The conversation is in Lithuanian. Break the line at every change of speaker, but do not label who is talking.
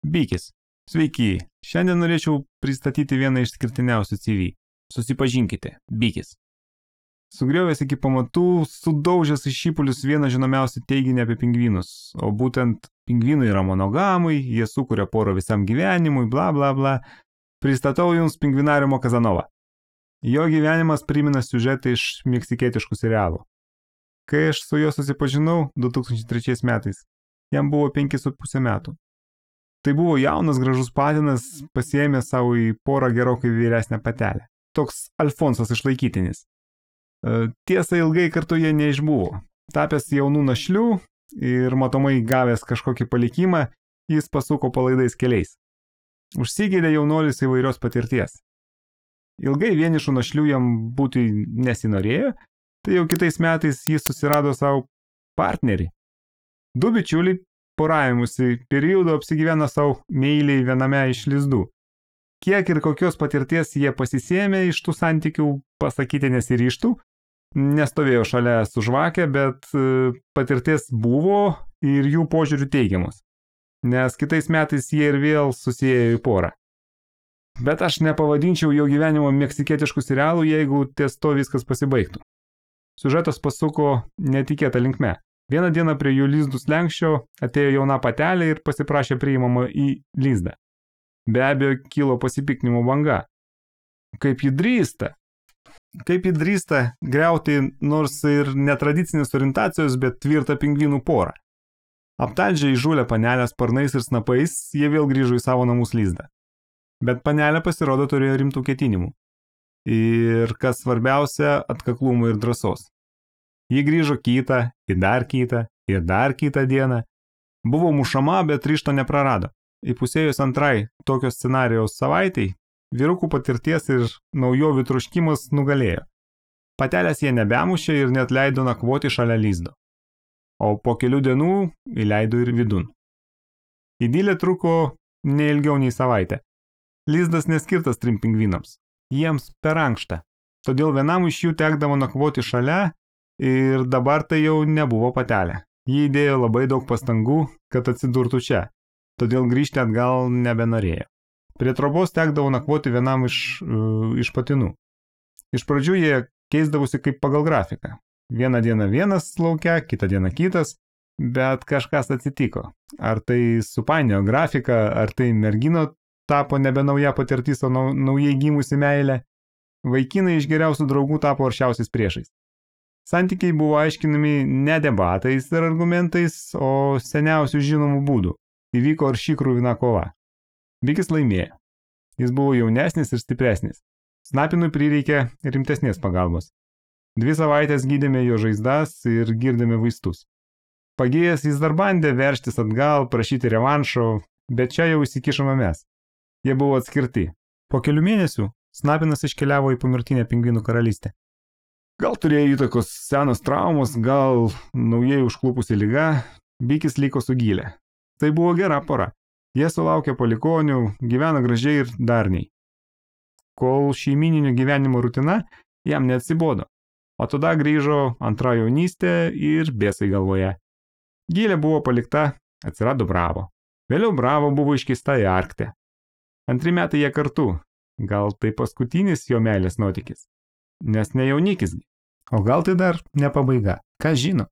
Bikis. Sveiki. Šiandien norėčiau pristatyti vieną išskirtiniausių CV. Susipažinkite. Bikis. Sugriovęs iki pamatų, sudaužęs į šipulius vieną žinomiausių teiginį apie pingvinus. O būtent pingvinai yra monogamai, jie sukuria porą visam gyvenimui, bla bla bla. Pristatau jums pingvinariumo Kazanovą. Jo gyvenimas primena siužetą iš meksikietiškų serialų. Kai aš su juo susipažinau 2003 metais, jam buvo 5,5 metų. Tai buvo jaunas gražus patinas, pasiėmęs savo į porą gerokai vyresnę patelę. Toks Alfonsas išlaikytinis. Tiesa, ilgai kartu jie neišbuvo. Tapęs jaunų našlių ir matomai gavęs kažkokį palikimą, jis pasuko palaidais keliais. Užsigėlė jaunolis įvairios patirties. Ilgai vienišų našlių jam būti nesinorėjo, tai jau kitais metais jis susirado savo partnerį. Du bičiuliai poravimusi periodu apsigyveno savo meiliai viename iš lizdų. Kiek ir kokios patirties jie pasisėmė iš tų santykių, pasakyti nesiryžtų, nestovėjo šalia su žvakė, bet patirties buvo ir jų požiūrių teigiamus, nes kitais metais jie ir vėl susiejo į porą. Bet aš nepavadinčiau jo gyvenimo meksikietiškų serialų, jeigu ties to viskas pasibaigtų. Siužetas pasuko netikėtą linkme. Vieną dieną prie jų lizdų slenkščio atėjo jauna patelė ir pasiprašė priimama į lizdą. Be abejo, kilo pasipiktinimo banga. Kaip ji drįsta griauti nors ir netradicinės orientacijos, bet tvirtą pingvinų porą. Aptalžę įžūlę panelę sparnais ir snapais, jie vėl grįžo į savo namus lizdą. Bet panelė pasirodo turėjo rimtų ketinimų. Ir kas svarbiausia, atkaklumo ir drąsos. Ji grįžo kitą, ir dar kitą dieną. Buvo mušama, bet ryžto neprarado. Įpusėjus antrai tokio scenarijaus savaitai, vyrukų patirties ir naujovių troškimas nugalėjo. Patelės jie nebemušė ir net leido nakvoti šalia lizdo. O po kelių dienų įleido ir vidun. Idilė truko neilgiau nei savaitę. Lizdas neskirtas 3 pingvinams. Jiems per ankšta. Todėl vienam iš jų tekdavo nakvoti šalia ir dabar tai jau nebuvo patelė. Ji įdėjo labai daug pastangų, kad atsidurtų čia. Todėl grįžti atgal nebenorėjo. Prie trobos tekdavo nakvoti vienam iš patinų. Iš pradžių jie keisdavosi kaip pagal grafiką. Vieną dieną vienas laukia, kitą dieną kitas, bet kažkas atsitiko. Ar tai supainiojo grafiką, ar tai mergino tapo nebe nauja patirtis, o naujai gimusi meilė. Vaikinai iš geriausių draugų tapo aršiausiais priešais. Santykiai buvo aiškinami ne debatais ir argumentais, o seniausių žinomų būdų. Įvyko arši kruvina kova. Bikis laimėjo. Jis buvo jaunesnis ir stipresnis. Snapinui prireikė rimtesnės pagalbos. 2 savaitės gydėme jo žaizdas ir girdėme vaistus. Pagėjęs jis dar bandė veržtis atgal, prašyti revanšo, bet čia jau įsikišome mes. Jie buvo atskirti. Po kelių mėnesių Snapinas iškeliavo į pomirtinę pingvinų karalystę. Gal turėjo įtakos senos traumos, gal naujai užklupusi liga, Bikis liko su Gilė. Tai buvo gera pora. Jie sulaukė palikonių, gyveno gražiai ir darniai. Kol šeimininio gyvenimo rutina jam neatsibodo, o tada grįžo antra jaunystė ir bėsai galvoje. Gilė buvo palikta, atsirado Bravo. Vėliau Bravo buvo iškeista į Arktę. 2 metai jie kartu, gal tai paskutinis jo meilės nuotykis, nes ne jaunikis, o gal tai dar ne pabaiga, kas žino.